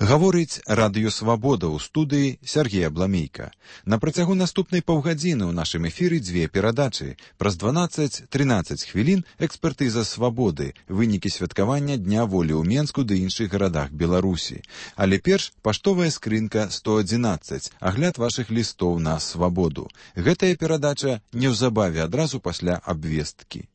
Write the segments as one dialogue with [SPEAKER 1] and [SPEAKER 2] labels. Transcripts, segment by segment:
[SPEAKER 1] Гаворыць Радыё Свабода ў студыі Сергей Абламейка. На працягу наступнай паўгадзіны ў нашым эфіры дзве перадачы. Праз 12-13 хвілін экспертыза свабоды, вынікі святкавання Дня волі ў Менску ды іншых гарадах Беларусі. Але перш паштовая скрынка 111, агляд вашых лістоў на свабоду. Гэтая перадача неўзабаве адразу пасля абвесткі.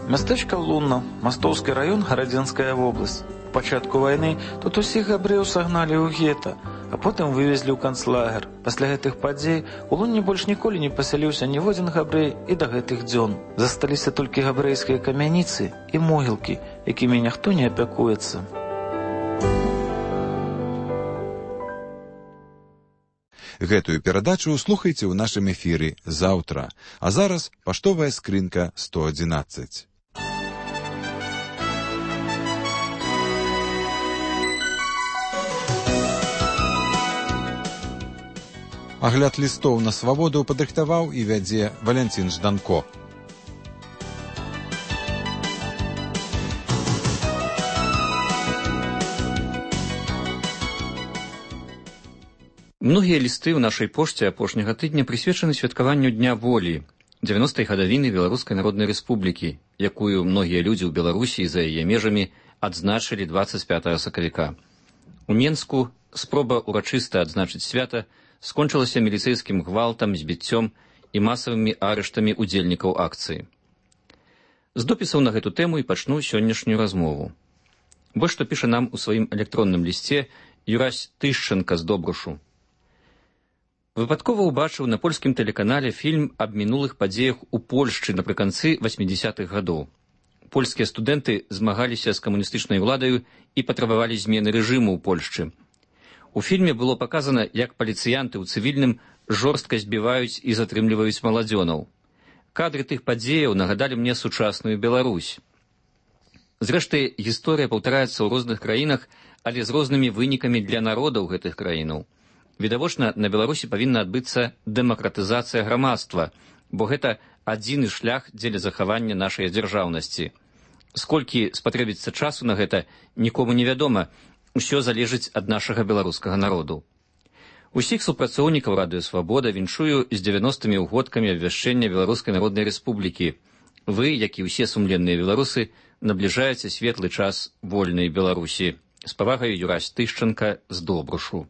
[SPEAKER 2] Мястэчка Лунна, Мастоўскі раён, Гарадзенская вобласць. У пачатку вайны тут усіх габрэяў сагналі ў гета, а потым вывезлі ў канцлагер. Пасля гэтых падзей у Лунне больш ніколі не пасяліўся ніводзін габрэй і да гэтых дзён. Засталіся толькі габрэйскія камяніцы і могілкі, якімі ніхто не апякуецца.
[SPEAKER 1] Гэтую перадачу слухайце ў нашым эфіры заўтра. А зараз паштовая скрынка 111. Агляд лістоў на свабоду падрыхтаваў і вядзе Валянцін Жданко.
[SPEAKER 3] Многія лісты ў нашай пошце апошняга тыдня прысвечаны святкаванню Дня волі, 90-й гадавіны Беларускай Народнай Рэспублікі, якую многія людзі ў Беларусі і за яе межамі адзначылі 25 сакавіка. У Менску спроба урачыста адзначыць свята скончылася міліцэйскім гвалтам, збіццём і масавымі арыштамі удзельнікаў акцыі. З допісаў на гэту тэму і пачну сённяшнюю размову. Вось што піша нам у сваім электронным лісце Юрась Тышченка з Добрушу. Выпадкова ўбачыў на польскім тэлеканале фільм аб мінулых падзеях у Польшчы напрыканцы 80-х гадоў. Польскія студэнты змагаліся з камуністычнай уладаю і патрабавалі змены рэжыму ў Польшчы. У фільме было паказана, як паліцыянты ў цывільным жорстка збіваюць і затрымліваюць маладзёнаў. Кадры тых падзеяў нагадалі мне сучасную Беларусь. Зрэшты, гісторыя паўтараецца ў розных краінах, але з рознымі вынікамі для народаў гэтых краінаў. Відавочна, на Беларусі павінна адбыцца дэмакратызацыя грамадства, бо гэта адзіны шлях дзеля захавання нашай дзяржаўнасці. Сколькі спатрэбіцца часу на гэта, нікому невядома. Усё залежыць ад нашага беларускага народу. Усіх супрацоўнікаў Радыё Свабода віншую з 90-мі ўгодкамі абвяшчэння Беларускай Народнай Рэспублікі. Вы, як і ўсе сумленныя беларусы, набліжаеце светлы час вольнай Беларусі. З павагай, Юрась Тышченка з Добрушу.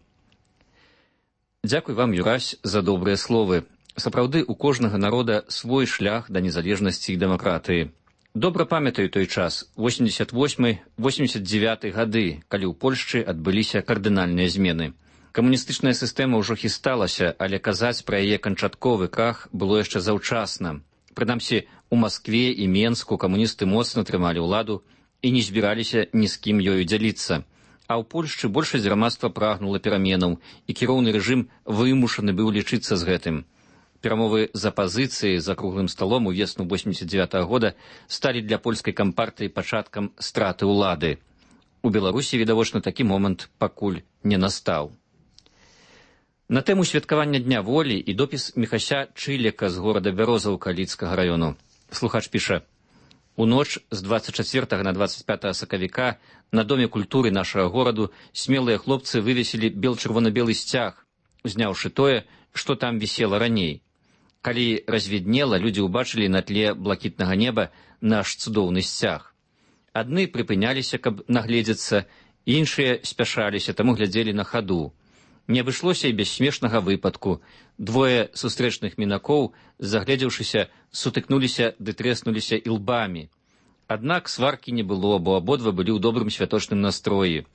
[SPEAKER 3] Дзякуй вам, Юрась, за добрыя словы. Сапраўды, у кожнага народа свой шлях да незалежнасці і дэмакратыі. Добра памятаю той час, 88-89 гады, калі ў Польшчы адбыліся кардынальныя змены. Камуністычная сістэма ўжо хісталася, але казаць пра яе канчатковы крах было яшчэ заўчасна. Прынамсі, у Маскве і Менску камуністы моцна трымалі ўладу і не збіраліся ні з кім ёю дзяліцца. А ў Польшчы большасць грамадства прагнула пераменаў, і кіроўны рэжым вымушаны быў лічыцца з гэтым. Перамовы з апазіцыяй за круглым сталом у весну 89-го года сталі для польскай кампартыі пачаткам страты ўлады. У Беларусі, відавочна, такі момант пакуль не настаў. На тэму святкавання Дня волі і допіс Міхася Чылека з горада Бярозаўка Лідскага раёну. Слухач піша: у ноч з 24 на 25 сакавіка на Доме культуры нашага гораду смелыя хлопцы вывесілі бел-чырвона-белы сцяг, узняўшы тое, што там вісела раней. Калі развіднела, людзі ўбачылі на тле блакітнага неба наш цудоўны сцяг. Адны прыпыняліся, каб нагледзецца, іншыя спяшаліся, таму глядзелі на хаду. Не абышлося і без смешнага выпадку. Двое сустрэчных мінакоў, загледзеўшыся, сутыкнуліся ды трэснуліся ілбамі. Аднак сваркі не было, бо абодва былі ў добрым святочным настроі.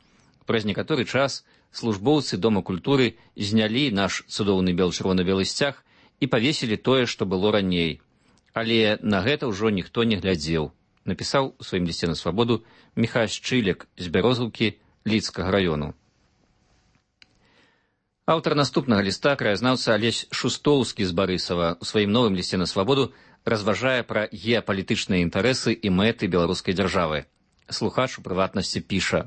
[SPEAKER 3] Праз некаторы час службоўцы Дома культуры знялі наш цудоўны бел-чырвона-белы сцяг і павесілі тое, што было раней. Але на гэта ўжо ніхто не глядзеў, напісаў у сваім лісце на свабоду Міхась Чылек з Бярозаўкі Лідскага раёну. Аўтар наступнага ліста, краязнаўца Алесь Шустоўскі з Барысава, у сваім новым лісце на свабоду разважае пра геапалітычныя інтарэсы і мэты беларускай дзяржавы. Слухач у прыватнасці піша: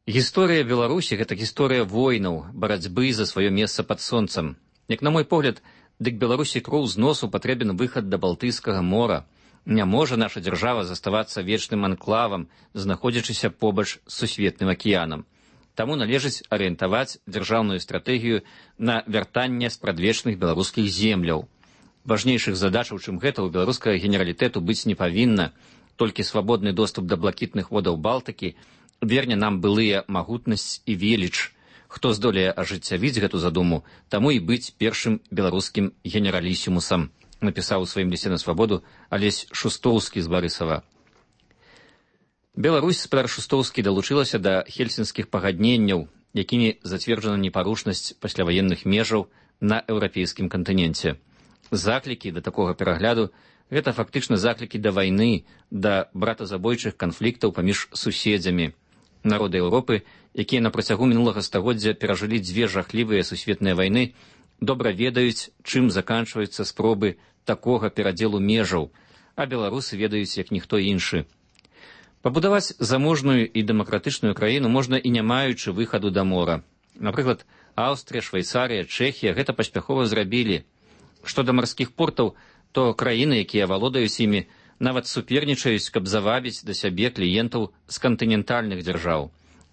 [SPEAKER 3] гісторыя Беларусі – гэта гісторыя войнаў, барацьбы за сваё месца пад сонцам. Як на мой погляд, дык Беларусі кроў з носу патрэбен выхад да Балтыйскага мора. Не можа наша дзяржава заставацца вечным анклавам, знаходзячыся побач з сусветным акіянам. Таму належыць арыентаваць дзяржаўную стратэгію на вяртанне спрадвечных беларускіх земляў. Важнейшых задачаў, чым гэта, у беларускага генералітэту быць не павінна. Толькі свабодны доступ да блакітных водаў Балтыкі верне нам былыя магутнасць і веліч. Хто здолее ажыццявіць гэту задуму, таму і быць першым беларускім генералісімусам, напісаў у сваім лісце на свабоду Алесь Шустоўскі з Барысава. Беларусь, спадар Шустоўскі, далучылася да хельсінскіх пагадненняў, якімі зацверджана непарушнасць пасляваенных межаў на еўрапейскім кантыненце. Заклікі да такога перагляду – гэта фактычна заклікі да вайны, да братазабойчых канфліктаў паміж суседзямі. Народы Еўропы, якія на працягу мінулага стагоддзя перажылі дзве жахлівыя сусветныя вайны, добра ведаюць, чым заканчваюцца спробы такога перадзелу межаў, а беларусы ведаюць, як ніхто іншы. Пабудаваць заможную і дэмакратычную краіну можна і не маючы выхаду да мора. Напрыклад, Аўстрыя, Швейцарыя, Чэхія гэта паспяхова зрабілі. Што да марскіх портаў, то краіны, якія валодаюць імі, нават супернічаюць, каб завабіць да сябе кліентаў з кантынентальных дзяржаў.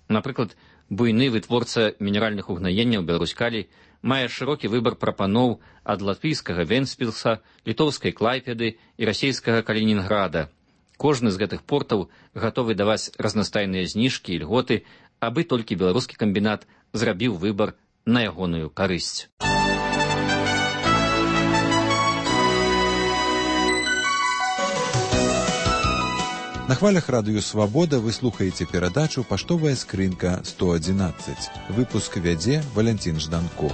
[SPEAKER 3] Напрыклад, буйны вытворца мінеральных угнаенняў Беларусь-Калій мае шырокі выбар прапаноў ад латвійскага Вентспілса, літоўскай Клайпеды і расійскага Калінінграда. Кожны з гэтых портаў гатовы даваць разнастайныя зніжкі і льготы, абы толькі беларускі камбінат зрабіў выбар на ягоную карысць.
[SPEAKER 1] На хвалях радыё «Свабода» вы слухаеце перадачу «Паштовая скрынка 111». Выпуск вядзе Валянцін Жданко.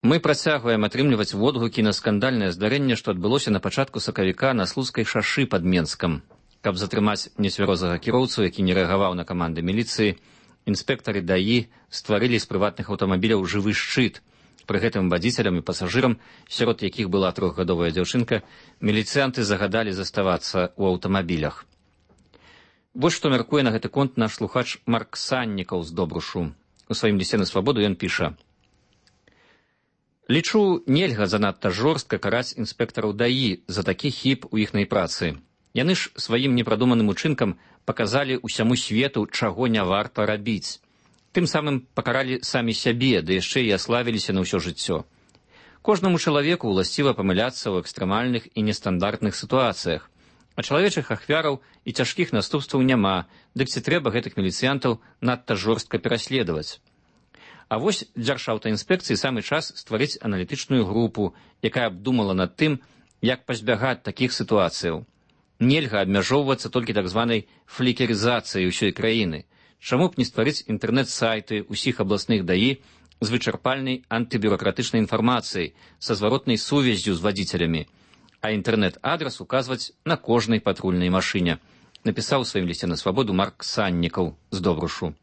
[SPEAKER 3] Мы працягваем атрымліваць водгукі на скандальнае здарэнне, што адбылося на пачатку сакавіка на Слуцкай шашы пад Менскам. Каб затрымаць нецвярозага кіроўцу, які не рэагаваў на каманды міліцыі, інспектары ДАІ стварылі з прыватных аўтамабіляў жывы шчыт. Пры гэтым вадзіцелям і пасажырам, сярод якіх была 3-гадовая дзяўчынка, міліцыянты загадалі заставацца ў аўтамабілях. Вось што мяркуе на гэты конт наш слухач Марк Саннікаў з Добрушу. У сваім лісце на свабоду ён піша: «Лічу, нельга занадта жорстка караць інспектараў ДАІ за такі хіб у іхнай працы. Яны ж сваім непрадуманым учынкам паказалі ўсяму свету, чаго не варта рабіць. Тым самым пакаралі самі сябе, ды яшчэ і аславіліся на ўсё жыццё. Кожнаму чалавеку ўласціва памыляцца ў экстрэмальных і нестандартных сітуацыях, а чалавечых ахвяраў і цяжкіх наступстваў няма, дык ці трэба гэтых міліцыянтаў надта жорстка пераследаваць. А вось дзяржаўтаінспекцыі самы час стварыць аналітычную групу, якая абдумала над тым, як пазбягаць такіх сітуацыяў. Нельга абмяжоўвацца толькі так званай флікерызацыяй усёй краіны. Чаму б не стварыць інтэрнэт-сайты ўсіх абласных ДАІ з вычарпальнай антыбюракратычнай інфармацыяй, са зваротнай сувяззю з вадзіцелямі, а інтэрнэт-адрас указваць на кожнай патрульнай машыне, напісаў у сваім лісце на свабоду Марк Саннікаў з Добрушу.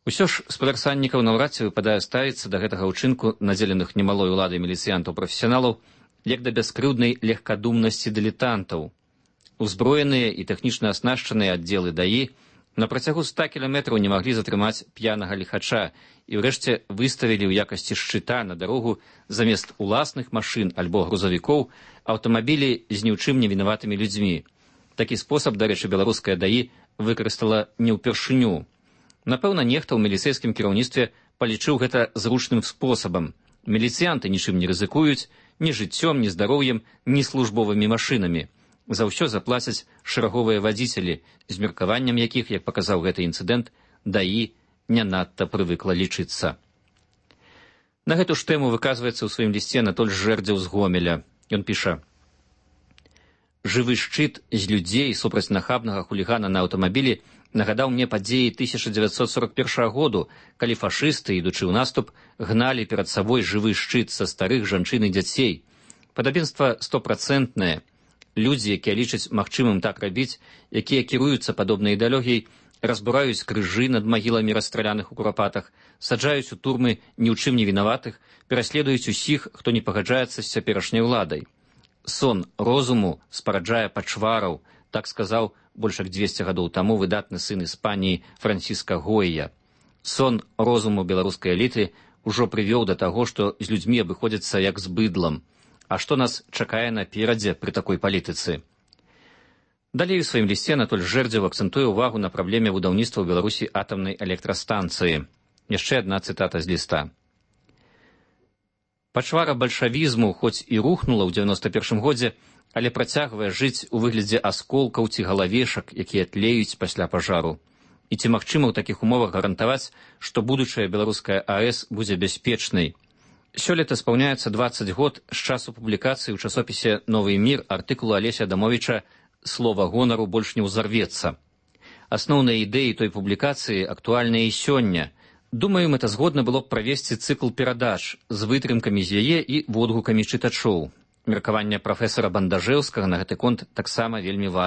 [SPEAKER 3] Усё ж спадар Саннікаў наўрад ці выпадае ставіцца да гэтага ўчынку надзеленых немалой уладай міліцыянтаў-прафесіяналаў як да бяскрыўднай легкадумнасці дылетантаў. Узброеныя і тэхнічна аснашчаныя аддзелы ДАІ на працягу 100 кіламетраў не маглі затрымаць п'янага ліхача і ўрэшце выставілі ў якасці шчыта на дарогу замест уласных машын альбо грузавікоў аўтамабілі з ні ў чым не вінаватымі людзьмі. Такі спосаб, дарэчы, беларуская ДАІ выкарыстала не ўпершыню. Напэўна, нехта ў міліцэйскім кіраўніцтве палічыў гэта зручным спосабам. Міліцыянты нічым не рызыкуюць, ні жыццём, ні здароўем, ні службовымі машынамі. За ўсё заплацяць шэраговыя вадзіцелі, з меркаваннем якіх, як паказаў гэты інцыдэнт, ДАІ не надта прывыкла лічыцца. На гэту ж тэму выказваецца ў сваім лісце Анатоль Жэрдзеў з Гомеля. Ён піша: «Жывы шчыт з людзей супраць нахабнага хулігана на аўтамабілі нагадаў мне падзеі 1941 году, калі фашысты, ідучы ў наступ, гналі перад сабой жывы шчыт са старых жанчын і дзяцей. Падабенства 100%. Людзі, якія лічаць магчымым так рабіць, якія кіруюцца падобнай ідэалогіяй, разбураюць крыжы над магіламі расстраляных у курапатах, саджаюць у турмы ні ў чым не вінаватых, пераследуюць усіх, хто не пагаджаецца з цяперашняй уладай. Сон розуму спараджае пачвараў, так сказаў больш як 200 гадоў таму выдатны сын Іспаніі Франціска Гойя. Сон розуму беларускай эліты ужо прывёў да таго, што з людзьмі абыходзяцца як з быдлам. А што нас чакае наперадзе пры такой палітыцы? Далей у сваім лісце Анатоль Жэрдзеў акцэнтуе ўвагу на праблеме будаўніцтва ў Беларусі атамнай электрастанцыі. Яшчэ адна цытата з ліста. Пачвара бальшавізму хоць і рухнула ў 91 годзе, але працягвае жыць у выглядзе асколкаў ці галавешак, якія тлеюць пасля пажару. І ці магчыма ў такіх умовах гарантаваць, што будучая беларуская АЭС будзе бяспечнай? Сёлета спаўняецца 20 год з часу публікацыі ў часопісе «Новы мір» артыкулу Алеся Адамовіча «Слова гонару больш не ўзарвецца». Асноўныя ідэі той публікацыі актуальныя і сёння. Думаю, мэтазгодна было б правесці цыкл перадач з вытрымкамі з яе і водгукамі чытачоў. Меркаванне прафесара Бандажэўскага на гэты конт таксама вельмі важнае.